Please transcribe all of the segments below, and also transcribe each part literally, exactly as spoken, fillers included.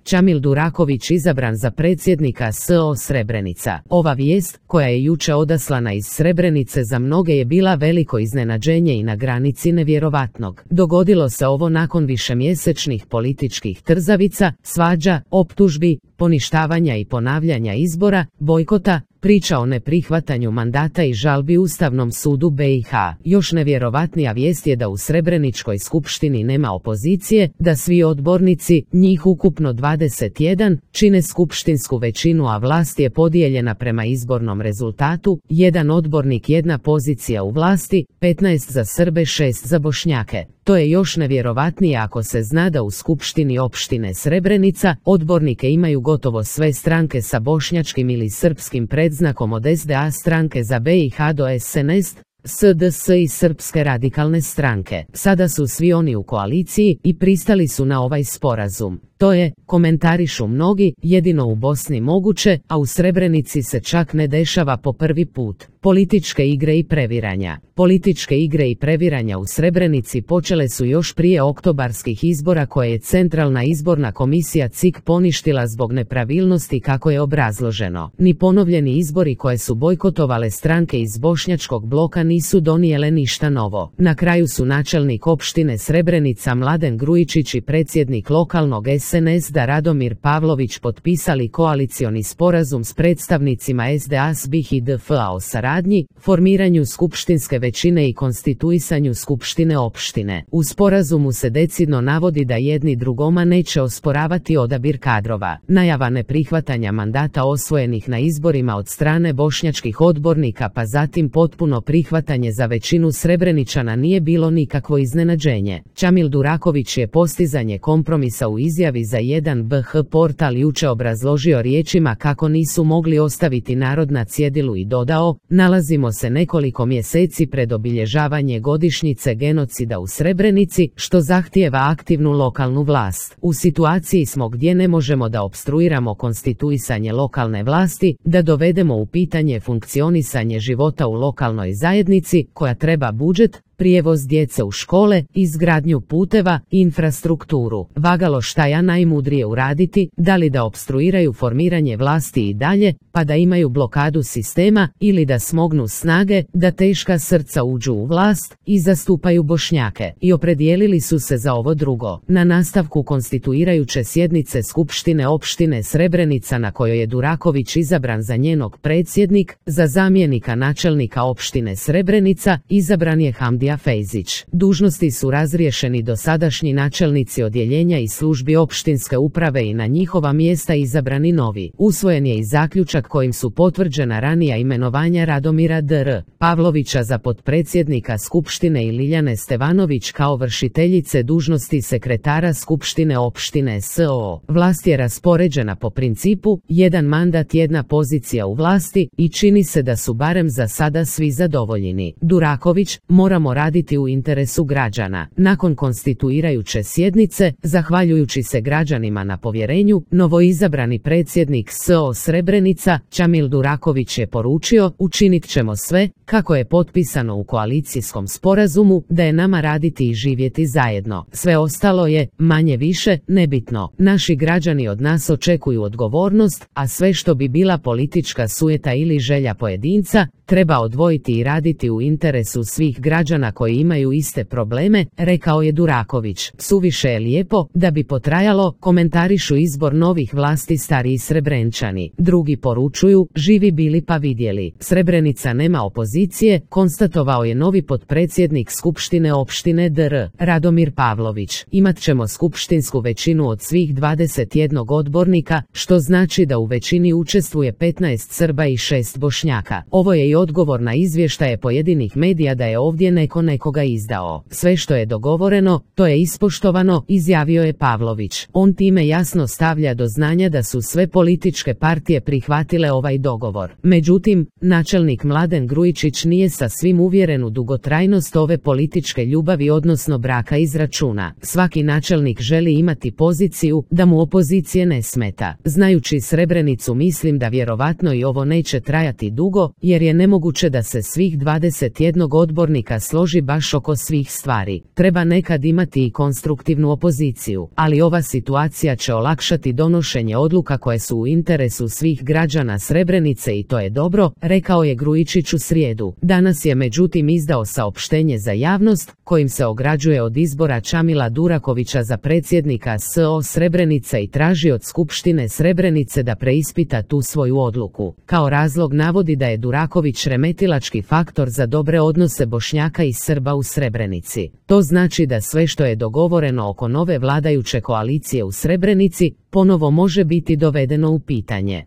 Čamil Duraković izabran za predsjednika S O Srebrenica. Ova vijest, koja je juče odaslana iz Srebrenice, za mnoge je bila veliko iznenađenje i na granici nevjerovatnog. Dogodilo se ovo nakon višemjesečnih političkih trzavica, svađa, optužbi, poništavanja i ponavljanja izbora, bojkota, priča o neprihvatanju mandata i žalbi Ustavnom sudu B i H. Još nevjerovatnija vijest je da u Srebreničkoj skupštini nema opozicije, da svi odbornici, njih ukupno dvadeset jedan, čine skupštinsku većinu, a vlast je podijeljena prema izbornom rezultatu, jedan odbornik, jedna pozicija u vlasti, petnaest za Srbe, šest za Bošnjake. To je još nevjerovatnije ako se zna da u skupštini opštine Srebrenica odbornike imaju gotovo sve stranke sa bošnjačkim ili srpskim predznakom, od S D A stranke za B i H do S N S, S D S i Srpske radikalne stranke. Sada su svi oni u koaliciji i pristali su na ovaj sporazum. To je, komentarišu mnogi, jedino u Bosni moguće, a u Srebrenici se čak ne dešava po prvi put. Političke igre i previranja. Političke igre i previranja u Srebrenici počele su još prije oktobarskih izbora koje je Centralna izborna komisija C I K poništila zbog nepravilnosti, kako je obrazloženo. Ni ponovljeni izbori koje su bojkotovale stranke iz bošnjačkog bloka nisu donijele ništa novo. Na kraju su načelnik opštine Srebrenica Mladen Grujičić i predsjednik lokalnog S N S D A Radomir Pavlović potpisali koalicioni sporazum s predstavnicima S D A S B I H i D F A o saradnji, formiranju skupštinske većine i konstituisanju skupštine opštine. U sporazumu se decidno navodi da jedni drugoma neće osporavati odabir kadrova. Najava neprihvatanja mandata osvojenih na izborima od strane bošnjačkih odbornika, pa zatim potpuno prihvatanje za većinu Srebreničana, nije bilo nikakvo iznenađenje. Čamil Duraković je postizanje kompromisa u izjavi za jedan B H portal juče obrazložio riječima kako nisu mogli ostaviti narod na cjedilu i dodao: nalazimo se nekoliko mjeseci pred obilježavanje godišnjice genocida u Srebrenici, što zahtijeva aktivnu lokalnu vlast. U situaciji smo gdje ne možemo da opstruiramo konstituisanje lokalne vlasti, da dovedemo u pitanje funkcionisanje života u lokalnoj zajednici, koja treba budžet, prijevoz djece u škole, izgradnju puteva, infrastrukturu. Vagalo šta ja najmudrije uraditi, da li da opstruiraju formiranje vlasti i dalje, pa da imaju blokadu sistema, ili da smognu snage, da teška srca uđu u vlast i zastupaju Bošnjake. I opredijelili su se za ovo drugo. Na nastavku konstituirajuće sjednice Skupštine opštine Srebrenica, na kojoj je Duraković izabran za njenog predsjednik, za zamjenika načelnika opštine Srebrenica izabran je Hamdi Fejzić. Dužnosti su razriješeni dosadašnji načelnici odjeljenja i službi opštinske uprave i na njihova mjesta izabrani novi. Usvojen je i zaključak kojim su potvrđena ranija imenovanja Radomira D R Pavlovića za potpredsjednika Skupštine i Liljane Stevanović kao vršiteljice dužnosti sekretara Skupštine opštine S O. Vlast je raspoređena po principu jedan mandat, jedna pozicija u vlasti i čini se da su barem za sada svi zadovoljeni. Duraković: moramo raditi u interesu građana. Nakon konstituirajuće sjednice, zahvaljujući se građanima na povjerenju, novoizabrani predsjednik S O Srebrenica, Čamil Duraković, je poručio: učinit ćemo sve, kako je potpisano u koalicijskom sporazumu, da je nama raditi i živjeti zajedno. Sve ostalo je, manje više, nebitno. Naši građani od nas očekuju odgovornost, a sve što bi bila politička sujeta ili želja pojedinca, treba odvojiti i raditi u interesu svih građana koji imaju iste probleme, rekao je Duraković. Suviše je lijepo da bi potrajalo, komentarišu izbor novih vlasti stariji Srebrenčani. Drugi poručuju: živi bili pa vidjeli. Srebrenica nema opozicije, konstatovao je novi potpredsjednik Skupštine opštine D R Radomir Pavlović. Imat ćemo skupštinsku većinu od svih dvadeset jedan odbornika, što znači da u većini učestvuje petnaest Srba i šest Bošnjaka. Ovo je i odgovor na izvještaje pojedinih medija da je ovdje neko nekoga izdao. Sve što je dogovoreno, to je ispoštovano, izjavio je Pavlović. On time jasno stavlja do znanja da su sve političke partije prihvatile ovaj dogovor. Međutim, načelnik Mladen Grujičić nije sa svim uvjeren u dugotrajnost ove političke ljubavi, odnosno braka iz računa. Svaki načelnik želi imati poziciju da mu opozicije ne smeta. Znajući Srebrenicu, mislim da vjerovatno i ovo neće trajati dugo, jer je nemoguće da se svih dvadeset jedan odbornika složi složi baš oko svih stvari. Treba nekad imati i konstruktivnu opoziciju, ali ova situacija će olakšati donošenje odluka koje su u interesu svih građana Srebrenice i to je dobro, rekao je Grujičić u srijedu. Danas je međutim izdao saopštenje za javnost, kojim se ograđuje od izbora Čamila Durakovića za predsjednika S O Srebrenice i traži od Skupštine Srebrenice da preispita tu svoju odluku. Kao razlog navodi da je Duraković remetilački faktor za dobre odnose Bošnjaka i Srba u Srebrenici. To znači da sve što je dogovoreno oko nove vladajuće koalicije u Srebrenici ponovo može biti dovedeno u pitanje.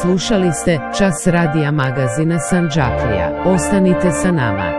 Slušali ste Čas radija magazina Sandžaklija. Ostanite sa nama.